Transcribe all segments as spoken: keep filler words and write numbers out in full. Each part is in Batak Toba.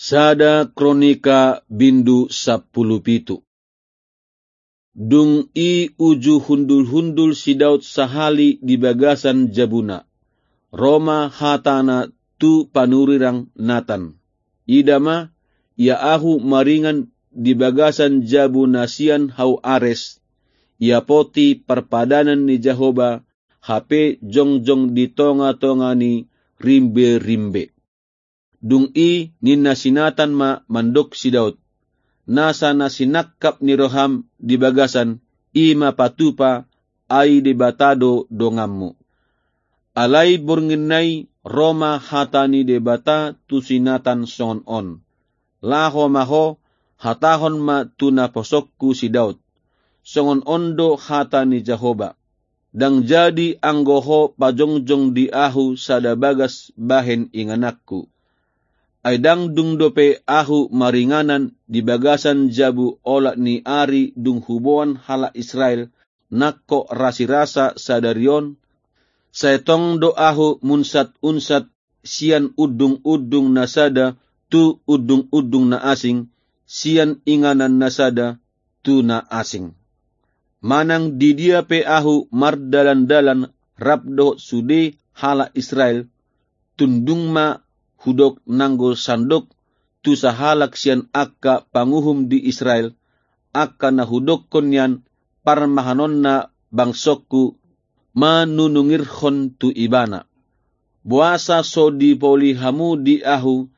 Sada Kronika bindu sampulu pitu. Dung i uju hundul-hundul si Daud sahali di bagasan jabuna, ro ma hatana tu panurirang Natan: Ida ma, ia ahu maringan di bagasan jabu na sian hau ares, ia poti parpadanan ni Jahowa, hape jongjong di tonga-tonga ni rimbe-rimbe. Dung i ninna si Natan ma mandok si Daud: Nasa na sinangkap ni roham di bagasan, i ma patupa, ai Debata do donganmu. Alai borngin na i ro ma hata ni Debata tu si Natan songon on: Laho ma ho, hatahon ma tu naposongku si Daud: Songon on do hata ni Jahowa: Ndang jadi anggo ho pajongjong di ahu sada bagas bahen ingananku. Ai ndang dung dope ahu maringanan di bagasan jabu olat ni ari dung huboan halak Israel nangkok rasirasa sadari on, sai tong do ahu munsat-unsat sian undung-undung na sada tu undung-undung na asing, sian inganan na sada tu na asing. Manang di dia pe ahu mardalan-dalan rap dohot sude halak Israel, tundung ma hudok nanggo sandok tu sahalak sian angka panguhum di Israel, angka na hudokkon nian parmahanonna bangsongku, manunungirhon tu ibana: Boasa so dipoli hamu di ahu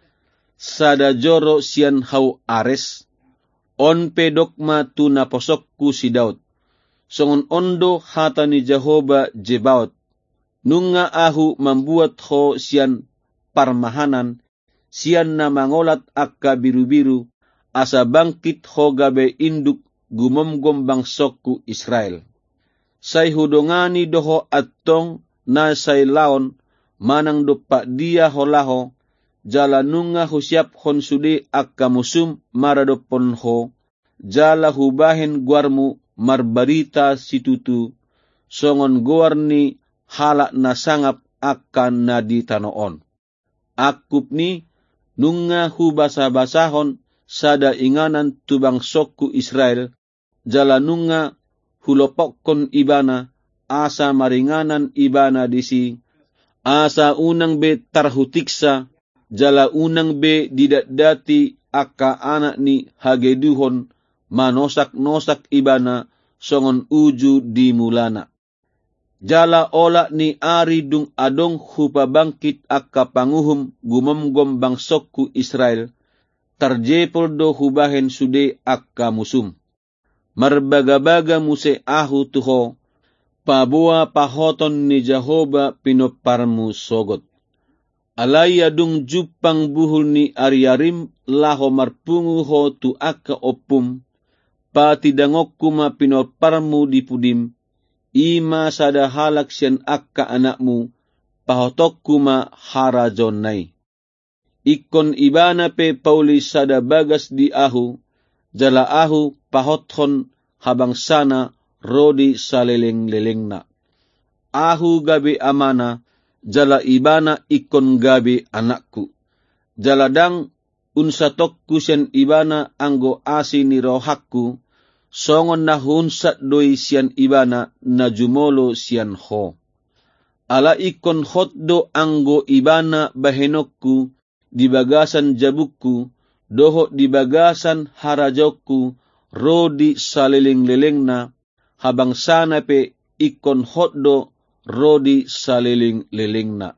sada joro sian hau ares? On pe dok ma tu naposongku si Daud: Songon on do hata ni Jahowa Zebaot: Nunga ahu mambuat ho sian parmahanan, sian na mangolat angka birubiru, asa bangkit ho gabe induk gumomgom bangsongku Israel. Sai hudongani do ho antong na sai laon manang dompak dia ho laho, jala nunga husiaphon sude angka musum maradophon ho, jala hubahen goarmu marbarita situtu, songon goar ni halak na sangap angka na di tano on. Angkup ni, nunga hubasabasahon sada inganan tu bangsongku Israel, jala nunga hulopokkon ibana, asa maringanan ibana disi, asa unang be tarhutiksa, jala unang be didatdati angka anak ni hageduhon manosaknosak ibana songon uju di mulana. Jala olat ni ari dung adong hupabangkit angka panguhum gumomgom bangsongku Israel, tarjepol do hubahen sude angka musum. Marbagabaga muse ahu tu ho, paboa pahoton ni Jahowa pinomparmu sogot. Alai adung jumpang buhul ni ariarim laho marpungu ho tu angka ompum, patindangonku ma pinomparmu di pudim, i ma sada halak sian angka anakmu, pahotonku ma harajaonna i. Ingkon ibana pe pauli sada bagas di ahu, jala ahu pahothon habangsana ro di salelenglelengna. Ahu gabe amana, jala ibana ingkon gabe anakku. Jala ndang unsatonku sian ibana anggo asi ni rohangku, songon na huunsat do i sian ibana na jumolo sian ho. Ala ingkon hot do anggo ibana bahenonku di bagasan jabungku, dohot di bagasan harajaonku ro di salelenglelengna, habangsana pe ingkon hot do ro di salelenglelengna.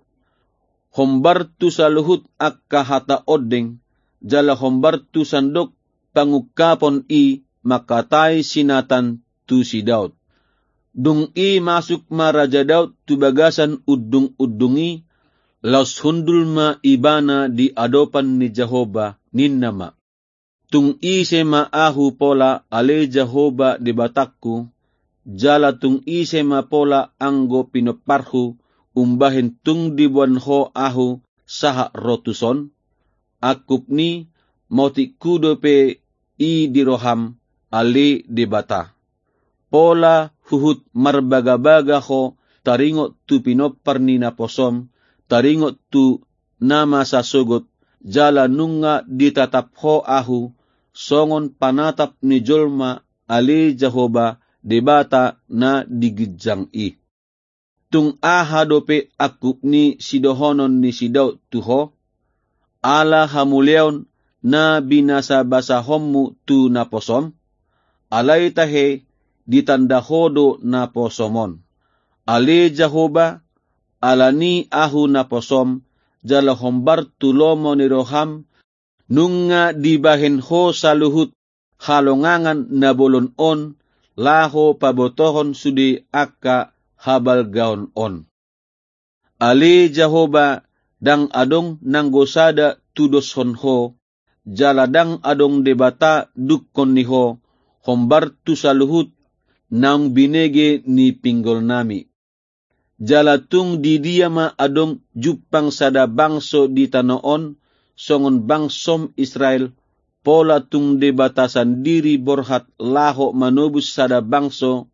Hombar tu saluhut angka hata ondeng, jala hombar tu sandok pangungkapon i mangkatai si Natan tu si Daud. Dung i masuk ma Raja Daud tu bagasan undungundung i, laos hundul ma ibana di adopan ni Jahowa, ninna ma: Tung ise ma ahu pola, ale Jahowa Debatangku, jala tung ise ma pola anggo pinomparhu umbahen tung diboan ho ahu sahat ro tuson? Angkup ni, motikhu dope i di roham, ale Debata. Pola huhut marbagabaga ho taringot tu pinompar ni naposom, taringot tu na masa sogot, jala nunga ditatap Ho ahu songon panatap ni jolma, ale Jahowa, Debata na di ginjang i. Tung aha dope angkup ni sidohonon ni si Daud tu Ho, ala hamuliaon na binasabasahonmu tu naposom? Alai tahe, ditanda Ho do naposom on. Ale Jahowa, alani ahu naposom, jala hombar tu lomo ni roham, nunga dibahen Ho saluhut halongangan na bolon on, laho pabotohon sude angka habalgaon on. Ale Jahowa, ndang adong nanggo sada tudoshon Ho, jala ndang adong Debata dungkon ni Ho, hombar tu saluhut naung binege ni pinggolnami. Jala tung di dia ma adong jumpang sada bangso di tano on, songon bangsom Israel, pola tung Debata sandiri borhat laho manobus sada bangso,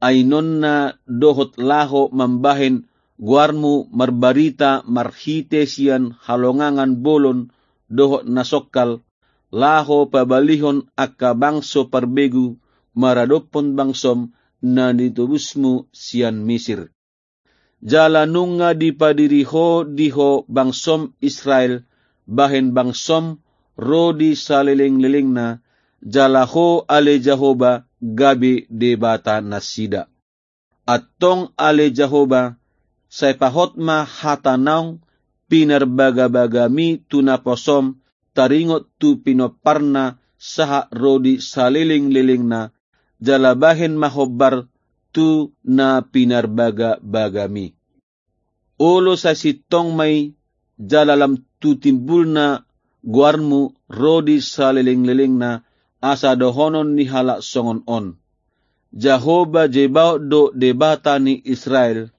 ainonna dohot laho mambahen goarmu marbarita marhite sian halongangan bolon dohot na songkal, laho pabalihon angka bangso parbegu maradophon bangsom na nitobusmu sian Misir. Jala nunga dipadiri Ho di Ho bangsom Israel bahen bangsom ro di salelenglelengna, jala Ho ale Jahowa gabe Debata nasida. Antong ale Jahowa, sai pahot ma hata naung pinarbagabagami tu naposom taringot tu pinomparna sahat ro di salelenglelengna, jala bahen ma hombar tu na pinarbagabagami. Olo sai sintong ma i, jala lam tu timbulna goarmu ro di salelenglelengna, asa dohonon ni halak songon on: Jahowa Zebaot do Debata ni Israel,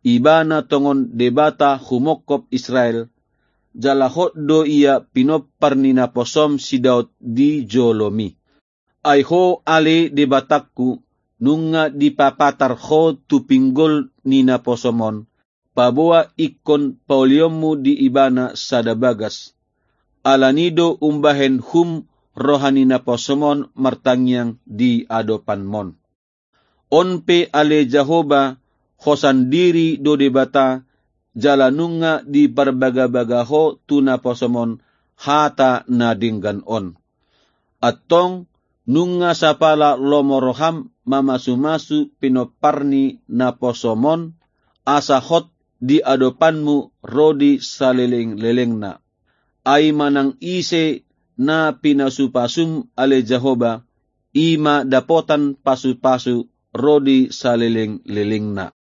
Ibana tongon Debata humongkop Israel, jala hot do Ia pinompar ni naposom si Daud di jolomi. Ai Ho ale Debatangku, nunga dipapatar Ho tu pinggol ni naposom on, paboa ingkon paulionmu di Ibana sada bagas. Alani do umbahen hum roha ni naposom on martangiang di adopanmon. On pe ale Jahowa, Ho sandiri do Debata, jala nunga diparbagabaga Ho tu naposom on hata na denggan on. Antong, nunga sapala lomo roham mamasumasu pinompar ni naposom on, asa hot di adopanmu ro di salelenglelengna. Ai manang ise na pinasupasum ale Jahowa, i ma dapotan pasupasu ro di salelenglelengna.